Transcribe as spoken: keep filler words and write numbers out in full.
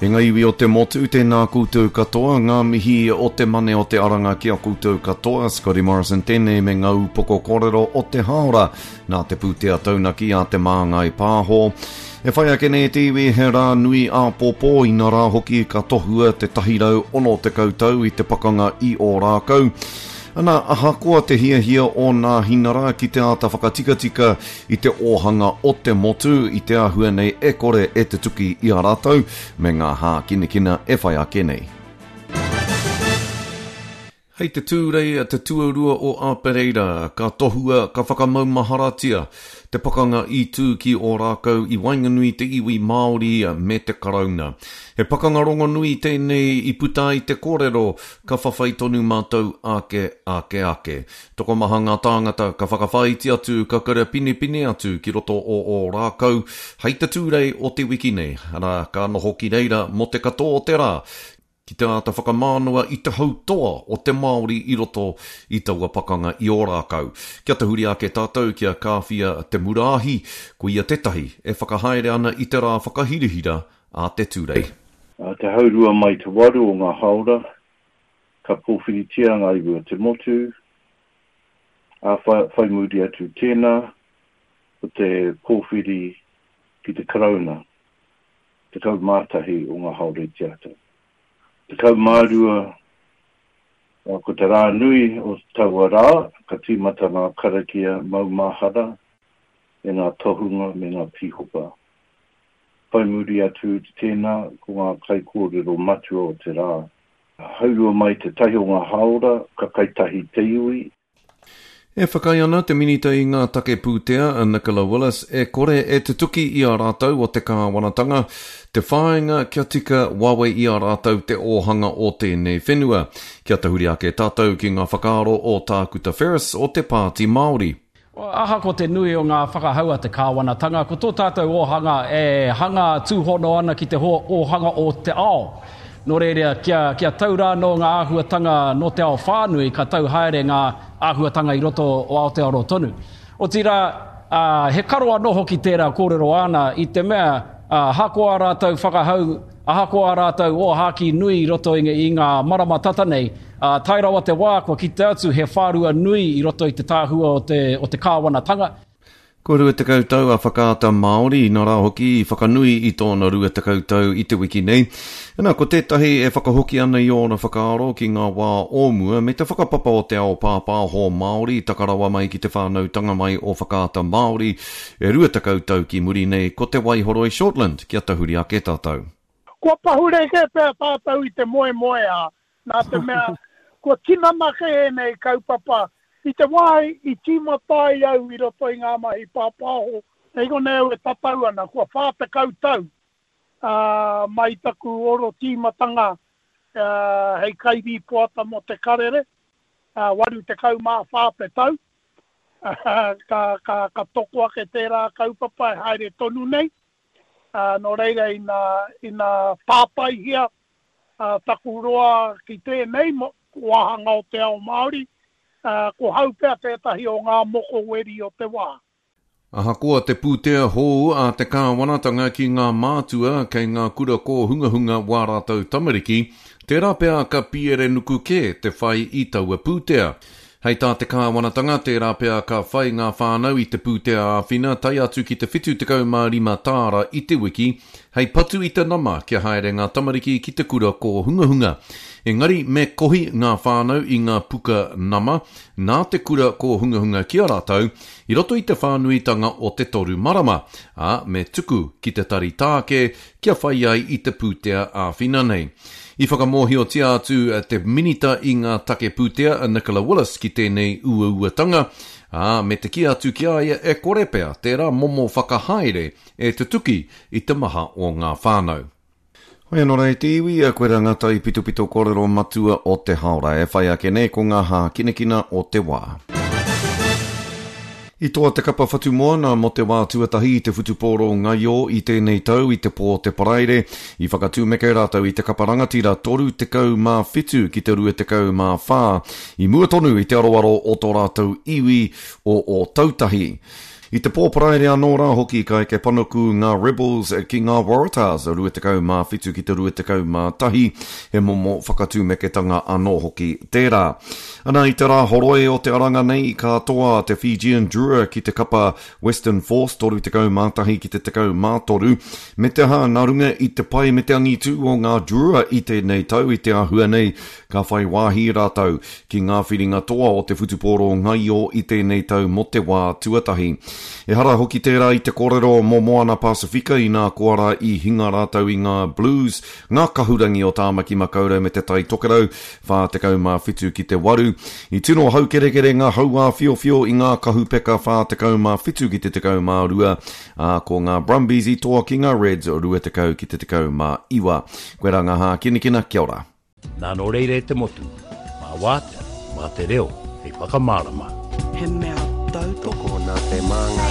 E ngā iwi o te motu, tēnā koutou katoa, ngā mihi o te mane o te aranga ki a koutou katoa, Scotty Morrison tēnei me ngā upoko kōrero o te haora, nā te pūtea taunaki a te Māngai Pāho. E whai ake nei te iwi he rā nui āpōpō, ina rā hoki ka tohua te tahirau ono tekau tau i te pakanga i Ōrākau. Ana, ahakoa te hiahia o Nāhinara ki te āta whakatikatika i te ōhanga o te motu i te āhua nei e kore e te tuki i a rātou me ngā hākinakina e whai ake nei. Hei te Tūrei te tuarua o Apereira, ka tohua, ka whakamaumaharatia te pakanga i tū ki Ōrākau i waenganui te iwi Māori me te Karauna. He pakanga rongonui tēnei i puta ai te kōrero, ka whawhai tonu mātou ake, ake, ake. Tokomaha ngā tāngata ka whakawhāiti atu, ka karapinepine atu ki roto o Ōrākau hei te Tūrei o te wiki nei, arā, ka noho ki reira mō te katoa o te rā, ki te āta whakamānawa i te hautoa o te Māori i roto i taua pakanga i Ōrākau. Kia tahuri ake tātou ki a Kāwhia Te Muraahi, ko ia tētahi e whakahaere ana i te rā whakahirahira a te Tūrei. Te haurua mai te waru o ngā haora, ka pōwhiritia ngā iwi o te motu, ā whai muri atu tēnā, ko te pōwhiri ki te Karauna, tekau mā tahi o ngā haora i te ata. Tekau mā rua, ko te rā nui o taua rā, ka tīmata ngā karakia maumahara me ngā tohunga me ngā pīhopa. Whai muri atu i tēnā, ko ngā kaikōrero matua o te rā. Haurua mai te tahi o ngā haora, ka kai tahi te iwi. E whakaae ana te Minita i ngā take pūtea a Nicola Willis e kore e tutuki i a rātou o te kāwanatanga te whāinga kia tika wawe i a rātou te ōhanga o tēnei whenua. Kia tahuri ake tātou ki ngā whakaaro o Tākuta Ferris o te Pāti Māori. Ahakoa te nui o ngā whakahau a te kāwanatanga, ko tō tātou ōhanga e hanga tūhono ana ki te ōhanga o te ao. Nō reira, kia, kia tau rā nō ngā āhuatanga nō te ao whānui, ka tau haere ngā āhuatanga i roto o Aotearoa tonu. Otirā, he karo anō hoki tērā kōrero āna i te mea, ahakoa rātou whakahau, ahakoa rātou ōhākī nui i roto i, i ngā marama tata nei, tae rawa te wā kua kite atu he whārua nui i roto i te tāhua o te, o te kāwanatanga. Kua rua tekau tau a Whakaata Māori, inā rā hoki i whakanui i tōna rua tekau tau i te wiki nei. Nā, ko tētahi e whakahoki ana i ōna whakaaro ki ngā wā o mua me te whakapapa o te ao pāpāho Māori takarawa mai ki te whānautanga mai o Whakaata Māori e rua tekau tau ki muri nei ko Te Waihoroi Shortland kia tahuri ake tātou. Kua pahure kē pea tātou i te moemoeā, nā te mea kua tinana kē ēnei kaupapa. I te wā i tīmata ai au i roto i ngā mahi pāpāho, nei konei au e tatau ana, kua whā tekau tau mai taku oro tīmatanga hei kairīpoata mō te karere, waru tekau mā whā te tau, ka, ka, ka toko ake tērā kaupapa e haere tonu nei. Nō reira ina, ina pāpaihia taku roa ki tēnei wāhanga o te ao Māori, ko hau pea tētahi o ngā mokoweri o te wā. Ahakoa te pūtea hou a te kāwanatanga ki ngā mātua kei ngā kura kōhungahunga wā rātou tamariki, tērā pea ka piere nuku kē te whai i taua pūtea. Hei tā te kāwanatanga, tērā pea ka whai ngā whānau i te pūtea āwhina tae atu ki te whitu tekau mā rima tāra i te wiki, hei patu i te nama kia haere ngā tamariki ki te kura kōhungahunga. Engari me kohi ngā whānau i ngā puka nama nā te kura kōhungahunga ki a rātou i roto i te whānuitanga o te toru marama, ā, me tuku ki te tari tāke kia whai ai i te pūtea āwhina nei. I whakamōhiotia atu te minita i ngā take pūtea a Nicola Willis ki tēnei uauatanga, ā, me te kī atu ki a ia e kore pea tērā momo whakahaere e tutuki i te maha o ngā whānau. Hoi anō rā e te iwi, koirā ngā taipitopito kōrero matua o te haora e whai ake nei ko ngā hākinakina o te wā. I toa te kapa Whatumoana mō te wā tuatahi i te whutupōro ngaio i tēnei tau i te pō te Paraire. I whakatūmeke rātou i te kapa rangatira toru tekau mā whitu ki te rua tekau mā whā, i mua tonu i te aroaro o tō rātou iwi o Ōtautahi. I te pō Paraire anō rā hoki ka eke panuku ngā Rebels ki ngā Waratahs, rua tekau mā whitu ki te rua tekau mā tahi, he momo whakatūmeketanga anō hoki tērā. Ana i te rā horoi o te aranga nei ka toa te Fijian Drua ki te kapa Western Force toru tekau mā tahi ki te tekau mā toru, me te aha nā runga i te pai me te angitū o ngā Drua i tēnei tau i te āhua nei ka whai wāhi rātou ki ngā whiringa toa o te whutupōro ngaio i tēnei tau mō te wā tuatahi. Ehara hoki tērā i te kōrero mō Moana Pasifika inā koa rā i hinga rātou i ngā Blues, ngā kahurangi o Tāmaki Makaurau me te Tai Tokerau, whā tekau mā whitu ki te waru. I tino haukerekere ngā hauāwhiowhio i ngā kahupeka whā tekau mā whitu ki te tekau mā rua, ā, ko ngā Brumbies i toa ki ngā Reds rua tekau ki te tekau mā iwa. Koe rā ngā hākinakina, kia ora. Nā nō reira e te motu, mā wātea, mā te reo, hei whakamārama. He mea tautoko. Tokona te māngai.